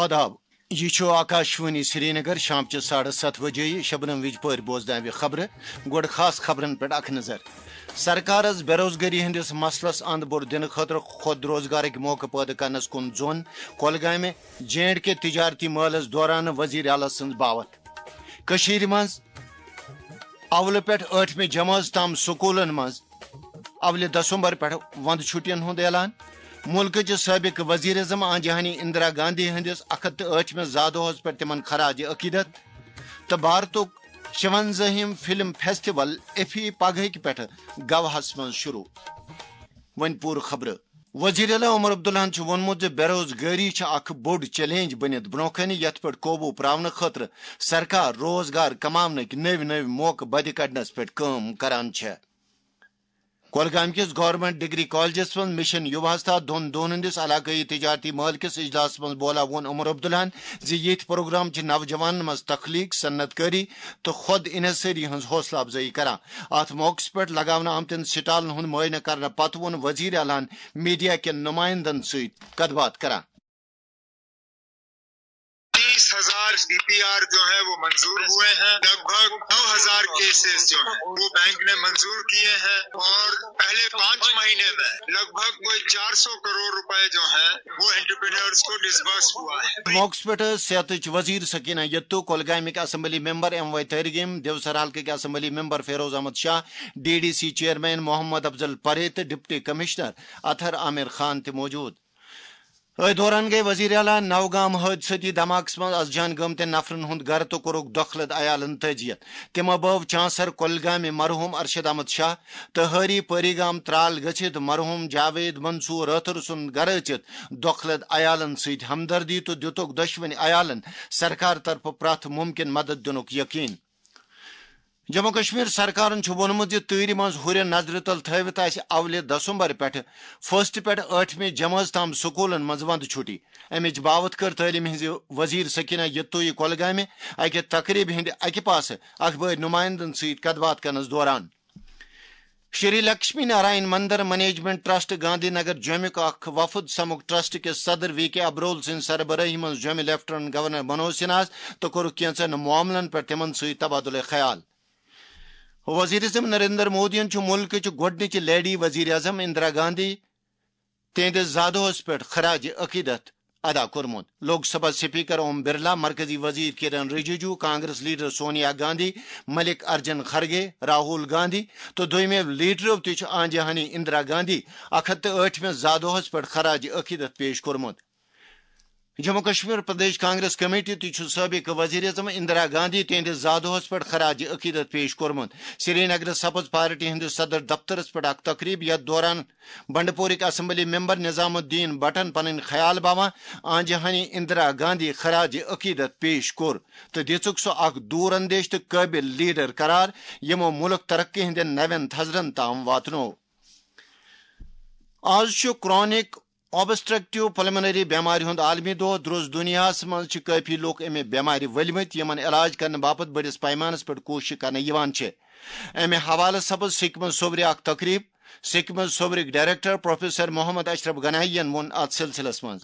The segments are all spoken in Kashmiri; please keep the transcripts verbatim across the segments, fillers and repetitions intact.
آداب، یہِ چھُ آکاشوانی سرینگر، شام چہِ ساڑٕ ستھ بجے۔ شبنم وِجپٲرۍ بوزناوِ خبرٕ۔ گۄڈٕ خاص خبرن پٮ۪ٹھ اکھ نظر۔ سرکارس بے روزگٲری ہٕنٛدِس مسلس اند بوٚڑ دِنہٕ خٲطرٕ خود روزگارٕکۍ موقعہٕ پٲدٕ کرنس کُن زون۔ کۄلگامہِ جے اینڈ کے تجارتی مٲلس دوران وزیر اعلیٰ سٕنٛز باوتھ۔ کٔشیٖرِ منٛز اولہٕ پٮ۪ٹھ ٲٹھمہِ جمٲژ تام سکوٗلن منٛز اولہِ دسمبر پٮ۪ٹھ وندٕ چھُٹین ہُنٛد اعلان۔ مُلکٕچ سٲبِق وزیر اعظم آنجہانی اندرا گاندھی ہٕنٛدِس اکھ ہتھ تہٕ ٲٹھمِس زا دۄہس پٮ۪ٹھ تِمن خراج عقیدت۔ تہٕ بھارتُک شُونزٲہِم فلم فیسٹیول ایفی پگہٕکۍ پٮ۪ٹھٕ گواہس منٛز شروع۔ وۄنۍ پوٗرٕ خبرٕ۔ وزیر اعلیٰ عمر عبداللہن چھُ ووٚنمُت زِ بے روزگٲری چھِ اکھ بوٚڑ چیلنج بٔنِتھ برونٛہہ کنہِ، یتھ پٮ۪ٹھ قوبوٗ پراونہٕ خٲطرٕ سرکار روزگار کماونٕکۍ نٔوۍ نٔوۍ موقعہٕ بدِ کڑنس پٮ۪ٹھ کٲم کران چھےٚ۔ کۄلگامہِ کِس گورنمنٹ ڈگری کالجس منٛز مشن یوواستا دۄن دۄہن ہٕنٛدِس علاقٲیی تجارتی مٲلہٕ کِس اجلاسس منٛز بولا ووٚن عمر عبداللہن زِ یِتھۍ پروگرام چھِ نوجوانن منٛز تخلیق، صنعت کٲری تہٕ خود انحصٲری ہٕنٛز حوصلہٕ افزٲیی کران۔ اتھ موقعس پٮ۪ٹھ لگاونہٕ آمتٮ۪ن سٹالن ہُنٛد معائنہٕ کرنہٕ پتہٕ ووٚن وزیر اعلیٰ ہن میڈیا کٮ۪ن نمائندن سۭتۍ کتھ باتھ کران۔ تیس ہزار ڈی پی آر جو ہے وہ منظور ہوئے ہیں، لگ بھگ نو ہزار کیسز جو ہیں وہ بینک نے منظور کیے ہیں، اور پہلے پانچ مہینے میں لگ بھگ کوئی چار سو کروڑ روپے جو ہیں وہ انٹرپرینورز کو ڈسبرس ہوا ہے۔ موقعس پٮ۪ٹھ صحتٕچ وزیر سکینہ یتو، کۄلگامٕکۍ assembly member M Y Tariq Aleem, Devsar حلقٕکۍ assembly member Feroz Ahmad Shah, D D C chairman Mohammad Afzal Parray تہٕ ڈپٹی کمشنر اطہر عامر خان تہِ موجود۔ أتھۍ دوران گٔیہِ وزیر اعلیٰ نوگام حٲدثٲتی دھماکس منٛز از جان گٲمتٮ۪ن نفرن ہُنٛد گرٕ تہٕ کوٚرُکھ دۄکھلت عیالن تعزیت۔ تِمو بٲو چانسر کۄلگامہِ مرحوم ارشد احمد شاہ تہٕ ہٲری پٲری گام ترال گٔژھِتھ مرحوم جاوید منصور رٲتھر سُنٛد گرٕ أژِتھ دۄکھلت عیالن سۭتۍ ہمدردی تہٕ دِتُکھ دۄشوٕنۍ عیالن سرکار طرفہٕ پرٛٮ۪تھ مُمکِن مدد دِنُک یقین۔ جموں کشمیر سرکارن چھُ ووٚنمُت زِ تۭرِ منٛز ہُرٮ۪ن نظرِ تل تھٲوِتھ آسہِ اولہِ دسمبر پٮ۪ٹھٕ فرسٹ پٮ۪ٹھ ٲٹھمہِ جمٲژ تام سکوٗلن منٛز وندٕ چھُٹی۔ امِچ باوتھ کٔر تعلیمہِ ہٕنٛزِ وزیر سکینہ یتویی کۄلگامہِ اکہِ تقریبہِ ہٕنٛدِ اکہِ پاسہٕ اخبٲرۍ نمائندن سۭتۍ کتھ باتھ کرنس دوران۔ شری لکشمی نارائن مندر مینجمنٹ ٹرسٹ گاندھی نگر جوٚمیُک اکھ وفد سمکھ ٹرسٹ کِس صدر وی کے ابرول سٕنٛدِ سربرٲہی منٛز جوٚمہِ لیفٹیننٹ گورنر منوج سنہاہس تہٕ کوٚرُکھ کینژن معاملن پٮ۪ٹھ تِمن سۭتۍ تبادلہ خیال۔ وزیر اعظم نریندر مودیَن چھُ مُلکٕچ گۄڈٕنِچ لیڈی وزیر اعظم اندرا گاندھی تِہنٛدِس زادوہس پٮ۪ٹھ خراج عقیدت ادا کوٚرمُت۔ لوک سبھا سپیکر اوم برلا، مرکزی وزیر کِرن رجیجو، کانگریس لیڈر سونیا گاندھی، ملک ارجن خرگے، راہول گاندھی تہٕ دوٚیمٮ۪و لیڈرو تہِ چھُ آنجہانی اندرا گاندھی اکھ ہتھ تہٕ ٲٹھمِس زادوہس پٮ۪ٹھ خراج عقیدت پیش کوٚرمُت۔ جموں کشمیر پردیش کانگریس کمیٹی تہِ چھُ سٲبق وزیر اعظم اندرا گاندھی تِہنٛدِس زادوہس پٮ۪ٹھ خراج عقیدت پیش کوٚرمُت۔ سری نگرٕ سپز پارٹی ہٕنٛدِس صدر دفترس پٮ۪ٹھ اکھ تقریب، یتھ دوران بنڈپورٕکۍ اسمبلی ممبر نظام الدین بٹن پنٕنۍ خیال باوان آنجہانی اندرا گاندھی خراج عقیدت پیش کوٚر تہٕ دِژٕکھ سُہ اکھ دوٗر اندیش تہٕ قٲبل لیڈر قرار، یِمو مُلک ترقی ہٕنٛدٮ۪ن نوٮ۪ن تھزرن تام واتنوو۔ آز چھُ کرونک آبسٹرکٹیو پلمنری بٮ۪مارِ ہُنٛد عالمی دۄہ۔ درٛوس دُنیاہس منٛز چھِ کٲفی لوٗکھ امہِ بٮ۪مارِ ؤلمٕتۍ، یِمن علاج کرنہٕ باپتھ بٔڑِس پیمانس پٮ۪ٹھ کوٗششہٕ کرنہٕ یِوان چھِ۔ امہِ حوالہٕ سپٕز سِکمٕز صوبرِ اکھ تقریب۔ سِکمٕز صوبرٕکۍ ڈائریکٹر پروفیسر محمد اشرف گنایی ین ووٚن اتھ سلسلس منٛز۔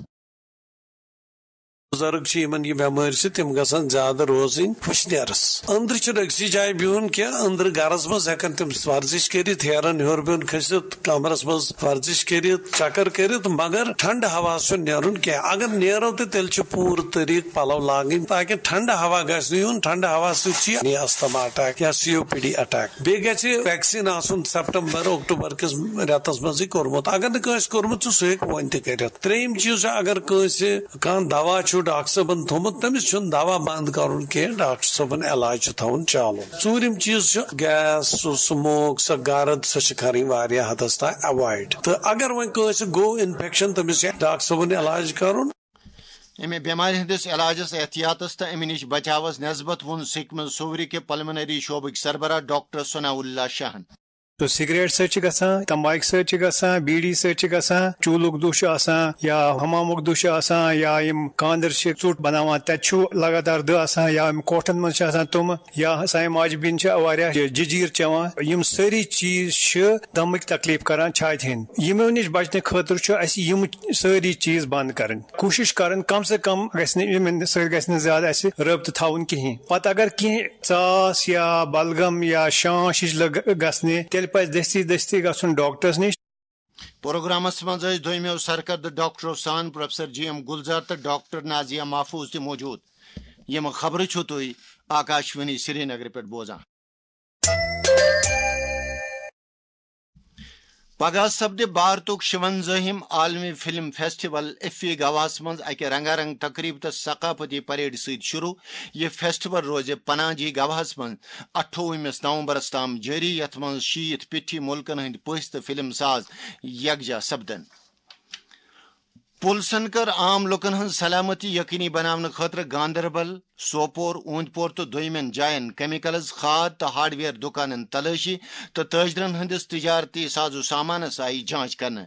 بُزرگ چھِ یِمن یہِ بٮ۪مٲرۍ چھِ، تِم گژھن زیادٕ روزٕنۍ وٕشنیرس أنٛدرٕ۔ چھُنہٕ أکسٕے جایہِ بِہُن کینٛہہ، أنٛدرٕ گرس منٛز ہٮ۪کن تِم ورزش کٔرِتھ، ہیرن ہیوٚر بۄن کھٔسِتھ، کمرس منٛز ورزش کٔرِتھ، چکر کٔرِتھ، مگر ٹھنڈٕ ہوہس چھُنہٕ نیرُن کینٛہہ۔ اگر نیرو تہِ، تیٚلہِ چھُ پوٗرٕ طریٖقہٕ پلو لاگٕنۍ، تاکہِ ٹھنڈٕ ہوا گژھِ نہٕ یُن۔ ٹھنڈٕ ہوا سۭتۍ چھُ یہِ asthma attack یا سی او پی ڈی attack۔ بیٚیہِ گژھِ vaccine آسُن سپٹمبر، اکتوبر کِس رٮ۪تس منٛزٕے کوٚرمُت۔ اگر نہٕ کٲنٛسہِ کوٚرمُت چھُ، سُہ ہیٚکہِ وۄنۍ تہِ کٔرِتھ۔ ترٛیٚیِم چیٖز چھُ، اگر کٲنٛسہِ کانٛہہ دوا چھُ ڈاکٹر صٲبن تھوٚومُت، تٔمِس چھُنہٕ دوا بنٛد کرُن کینٛہہ، ڈاکٹر صٲبن علاج چھُ تھاوُن چالوٗ۔ ژوٗرِم چیٖز چھُ gas، سُہ smoke، سۄ گرد، سۄ چھِ کرٕنۍ واریاہ حدس تام avoid۔ تہٕ اگر وۄنۍ کٲنٛسہِ گوٚو infection، تٔمِس چھُ ڈاکٹر صٲبن علاج کرُن۔ امہِ بٮ۪مارِ ہٕنٛدِس علاجس، احتیاطس تہٕ امہِ نِش بچاوس نٮ۪سبت ووٚن سِکمٕز صوبرِ کہِ پلمنری شعبٕکۍ سربراہ ڈاکٹر ثناء اللہ شاہن۔ تہٕ سگریٹ سۭتۍ چھِ گژھان، تمباکہِ سۭتۍ چھِ گژھان، بیٖڑی سۭتۍ چھِ گژھان، چوٗلُک دُہ چھُ آسان یا حمامُک دُہ چھُ آسان، یا یِم کاندر چھِ ژوٚٹ بناوان، تَتہِ چھُ لگاتار دٕہ آسان، یا یِم کوٹھن منٛز چھِ آسان تِم، یا سانہِ ماجہِ بیٚنہِ چھِ واریاہ جٔجیٖر چٮ۪وان۔ یِم سٲری چیٖز چھِ دمٕکۍ تکلیف کران چھاتہِ ہٕنٛدۍ۔ یِمو نِش بچنہٕ خٲطرٕ چھُ اَسہِ یِم سٲری چیٖز بند کرٕنۍ۔ کوٗشِش کرٕنۍ، کم سے کم گژھِ نہٕ یِمن سۭتۍ گژھِ نہٕ زیادٕ اَسہِ رٲبطہٕ تھاوُن کِہیٖنۍ۔ پتہٕ اگر کینٛہہ ژاس یا بلغم یا شانش ہِش لٔگ گژھنہِ، تیٚلہِ پزِ دٔستی دٔستی گژھُن ڈاکٹرس نِش۔ پروگرامس منٛز ٲسۍ دوٚیمٮ۪و سرکردٕ ڈاکٹرو سان پروفیسر جی ایم گلزار تہٕ ڈاکٹر نازیہ محفوظ تہِ موجود۔ یِم خبرٕ چھِو تُہۍ آکاشوانی سرینگرٕ پٮ۪ٹھ بوزان۔ پگاہ سپدِ بھارتُک شُوَنزٲہِم عالمی فلم فیسٹیول ایفی گواہَس منٛز اَکہِ رنگا رنگ تقریب تہٕ ثقافتی پریڈ سۭتۍ شروع۔ یہِ فیسٹیول روزِ پناجی گواہَس منٛز اَٹھووُہمِس نومبرَس تام جٲری، یَتھ منٛز شیٖتھ پیٚٹھی مُلکَن ہٕنٛدۍ پٔژھۍ تہٕ فلم ساز یکجا سپدَن۔ پُلسن کٔر عام لوٗکَن ہٕنٛز سلامتی یقینی بناونہٕ خٲطرٕ گاندربل، سوپور، اوٗنٛدۍ پور تہٕ دوٚیمٮ۪ن جاین کیمیکلز، کھاد تہٕ ہارڈویئر دُکانن تلٲشی تہٕ تٲجرن ہٕنٛدِس تجارتی ساز و سامانس آیہِ جانچ کرنہٕ۔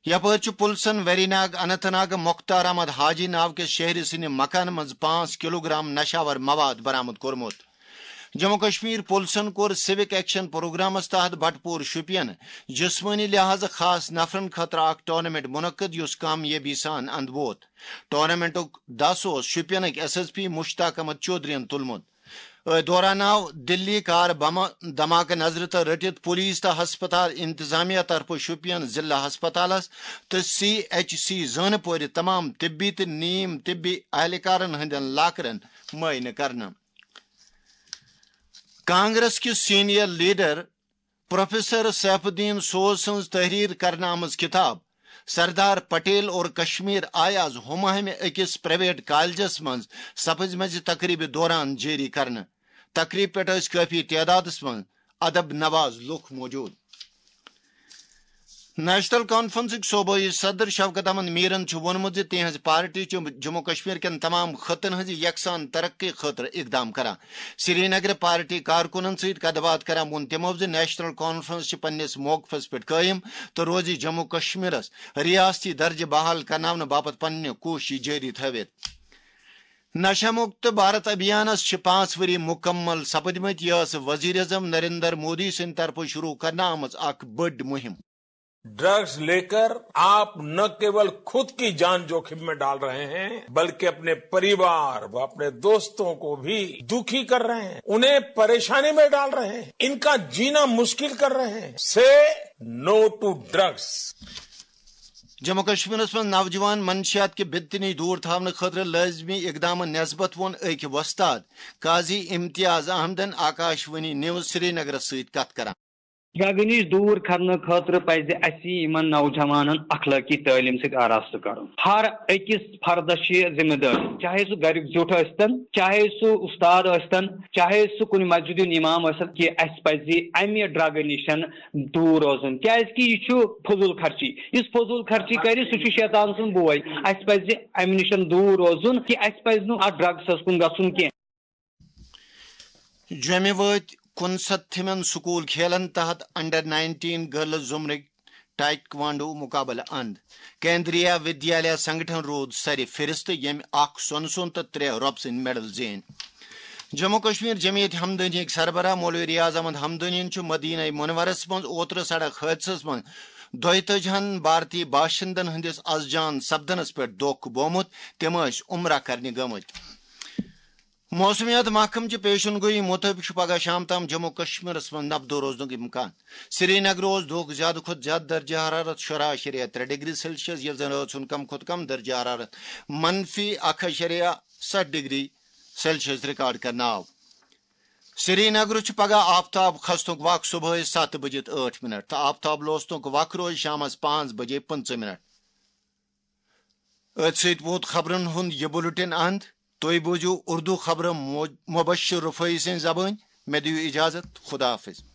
یپٲرۍ چھُ پُلسن ویری ناگ اننت ناگ مختار احمد حاجی ناو کِس شہری سٕنٛدِ مکانہٕ منٛز پانٛژھ کلوگرام نشاور مواد برآمد کوٚرمُت۔ جموں کشمیر پُلسن کوٚر سِوک ایکشن پروگرامس تحت بٹپور شوپین جسمٲنی لحاظہٕ خاص نفرن خٲطرٕ اکھ ٹورنامنٹ منعقد، یُس کامیٲبی سان اندٕ ووت۔ ٹورنامنٹُک دس اوس شوپینٕکۍ S S P Mushtaq Ahmad چودھرین تُلمُت۔ أتھۍ دوران آو دِلی کار بمہٕ دھماکہٕ نظرِ تل رٔٹِتھ پولیس تہٕ ہسپتال انتظامیہ طرفہٕ شوپین ضلع ہسپتالس تہٕ سی ایچ سی زٲنہٕ پورِ تمام طبی تہٕ نیم طبی اہلکارن ہٕنٛدٮ۪ن لاکرن معائنہٕ کرنہٕ۔ کانگریس کِس senior leader professor Saifuddin Soz سٕنٛز تحریر کرنہٕ آمٕژ کتاب سردار پٹیل اور کشمیر آیہِ از ہُماہمہِ أکِس پرائیویٹ کالجس منٛز سپٕزمٕژِ تقریبہِ دوران جٲری کرنہٕ۔ تقریب پٮ۪ٹھ ٲسۍ کٲفی تعدادس منٛز ادب نواز لوٗکھ موجود۔ نیشنل کانفرنسٕکۍ صوبٲئی صدر شوکت احمد میرن چھُ ووٚنمُت زِ تِہنٛز پارٹی چھِ جموں کشمیر کٮ۪ن تمام خطن ہٕنٛزِ یکسان ترقی خٲطرٕ اقدام کران۔ سرینگرٕ پارٹی کارکُنن سۭتۍ کتھ باتھ کران ووٚن تِمو زِ نیشنل کانفرنس چھِ پننِس موقفس پٮ۪ٹھ قٲیِم تہٕ روزِ جموں کشمیرس ریاستی درجہٕ بحال کرناونہٕ باپتھ پننہِ کوٗششہٕ جٲری تھٲوِتھ۔ نشہ مکت بھارت ابھیانس چھِ پانٛژھ ؤری مکمل سپدمٕتۍ۔ یہِ ٲس وزیر اعظم نریندر مودی سٕنٛدِ طرفہٕ شروع کرنہٕ آمٕژ اکھ بٔڑ مُہِم۔ ڈرگز لیکر آپ نہ کیول خود کی جان جوخم میں ڈال رہے ہیں، بلکہ اپنے پریوار و اپنے دوستوں کو بھی دکھی کر رہے ہیں، انہیں پریشانی میں ڈال رہے ہیں، ان کا جینا مشکل کر رہے ہیں۔ سے نو ٹو ڈرگز۔ جموں کشمیرس منٛز نوجوان منشیات کہِ بدتنی دور تھاونہٕ خٲطرٕ لٲزمی اقدامن نسبت ووٚن أکۍ وۄستاد قاضی امتیاز احمدن آکاشوانی نیوز سرینگرس سۭتۍ کتھ کران۔ ڈرگہٕ نِش دوٗر کرنہٕ خٲطرٕ پزِ اسہِ یِمن نوجوانن اخلٲقی تعلیٖم سۭتۍ آراستہٕ کرُن۔ ہر أکِس فردس چھِ یہِ ذمہٕ دٲری، چاہے سُہ گریُک زیُٹھ ٲسۍتن، چاہے سُہ اُستاد ٲسۍتن، چاہے سُہ کُنہِ مسجد ہُنٛد امام ٲسِتن، کہِ اسہِ پزِ امہِ ڈرگہٕ نِش دوٗر روزُن، کیازِ کہِ یہِ چھُ فضوٗل خرچی۔ یُس فضوٗل خرچی کرِ، سُہ چھُ شیطان سُنٛد بوے۔ اسہِ پزِ امہِ نِش دوٗر روزُن، کہِ اسہِ پزِ نہٕ اتھ ڈرگسس کُن گژھُن کینٛہہ۔ جوٚمہِ وٲتۍ کُنسَتتھمٮ۪ن سکوٗل کھیلن تحت انڈر نائنٹین گرلز زمرٕکۍ ٹائیکوانڈو مقابلہٕ اند۔ کیندریہ ودیالیہ سنگٹھن روٗد سرِ فہرست، ییٚمۍ اکھ سۄنہٕ سُنٛد تہٕ ترٛےٚ رۄپہٕ سٕنٛدۍ میڈل زیٖنۍ۔ جموں کشمیر جمعیت ہمدانیٕکۍ سربراہ مولوی ریاض احمد ہمدانین چھُ مدینہ منورس منٛز اوترٕ سڑک حٲدثس منٛز دۄیتٲجی ہن بھارتی باشندن ہٕنٛدِس از جان سپدنس پٮ۪ٹھ دۄکھ بومُت۔ تِم ٲسۍ عمرہ کرنہِ گٔمٕتۍ۔ موسمیات محکمہٕ چہِ پیشن گویی مُطٲبِق چھُ پگہہ شام تام جموں کشمیرس منٛز نبدو روزنُک امکان۔ سری نگر اوس دۄہُک زیادٕ کھۄتہٕ زیادٕ درجہ حرارت شُراہ اَشاریہ ترٛےٚ ڈگری سیلسیس، ییٚلہِ زن رٲژ ہُنٛد کم کھۄتہٕ کم درجہ حرارت منفی اکھ اَشاریہ ستھ ڈگری سیلسیس ریکارڈ کرنہٕ آو۔ سری نگرٕ چھُ پگہہ آفتاب کھسنُک وق صبحٲے ستھ بجے تہٕ ٲٹھ منٹ تہٕ آفتاب لوسنُک وق روزِ شامس پانٛژھ بجے پٕنٛژٕہ منٹ۔ أتھۍ سۭتۍ ووت خبرن ہُنٛد یہِ بُلٹن اند۔ تُہۍ بوٗزِو اردو خبرٕ مو-، مبشر رفٲعی سٕنٛزِ زبٲنۍ۔ مےٚ دِیِو اجازت۔ خدا حافظ۔